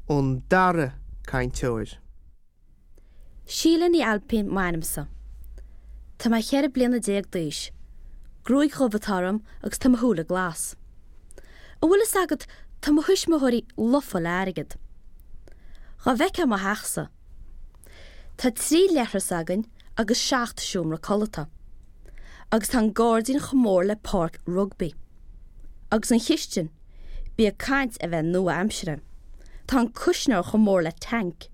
Ón dara cainteoir. Síle Ní Ailpín m'ainmse. Tá mé 14 bliana d'aois. Gruaig dhubh atá orm agus tá mo shúile glas. An bhfuil fhios agat, tá mo thuismitheoirí lofa le airgead. Dhá bhfeicfeá mo theachsa. Tá 3 leithreas againn agus 7 seomra codlata. Agus tá an gairdín chomh mór le páirc rugbaí. Agus an chistin, bí ag caint a bheith nua-aimseartha. Tá an cuisneoir chomh mór le tanc.